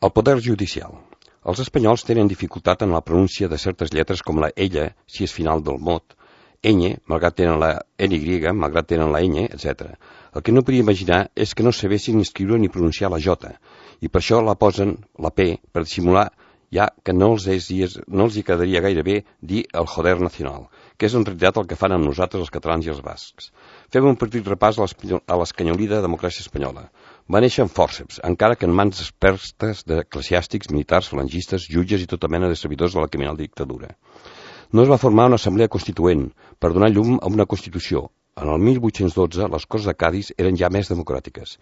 El poder judicial. Els espanyols tenen dificultat en la pronúncia de certes lletres com la ella, si és final del mot, ñ, malgrat tenen la ny, malgrat tenen la ñ, etc. El que no podria imaginar és que no sabessin ni escriure ni pronunciar la j, i per això la posen, la p, per dissimular ja que no els hi quedaria gaire bé dir el joder nacional, que és en realitat el que fan amb nosaltres els catalans i els bascs. Fem un petit repàs a l'escanyolida democràcia espanyola. Va néixer en fòrceps, encara que en mans expertes d'eclesiàstics, militars, falangistes, jutges i tota mena de servidors de la criminal dictadura. No es va formar una assemblea constituent per donar llum a una Constitució. En el 1812 les Corts de Cadis eren ja més democràtiques.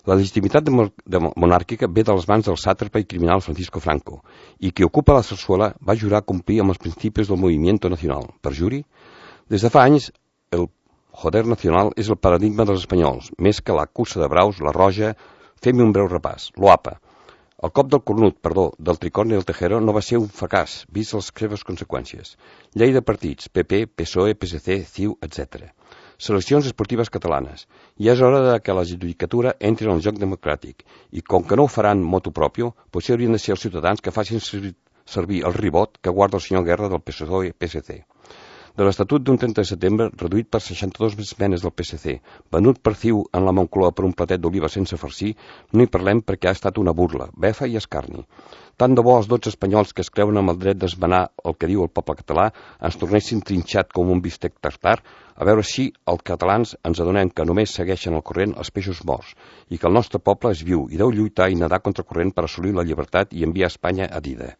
La legitimitat monàrquica ve de les mans del sàtrapa i criminal Francisco Franco, i qui ocupa la Sarsuela va jurar complir amb els principis del Movimiento Nacional. Perjuri? Des de fa anys, el joder nacional és el paradigma dels espanyols, més que la cursa de braus, la roja. Fem un breu repàs. L'OAPA. El cop del cornut, del tricorni del Tejero no va ser un fracàs, vist les seves conseqüències. Llei de partits, PP, PSOE, PSC, CiU, etc. Seleccions esportives catalanes. Ja és hora que la judicatura entri en el joc democràtic, i com que no ho faran motu propio, potser haurien de ser els ciutadans que facin servir el ribot que guarda el senyor Guerra del PSOE-PSC. De l'Estatut d'un 30 de setembre, reduït per 62 esmenes del PSC, venut per CiU en la Moncloa per un platet d'oliva sense farcir, no hi parlem perquè ha estat una burla, befa i escarni. Tant de bo els 12 espanyols que es creuen amb el dret d'esmenar el que diu el poble català ens tornessin trinxat com un bistec tartar, a veure si els catalans ens adonem que només segueixen al corrent els peixos morts i que el nostre poble és viu i deu lluitar i nedar contra corrent per assolir la llibertat i enviar Espanya a dida.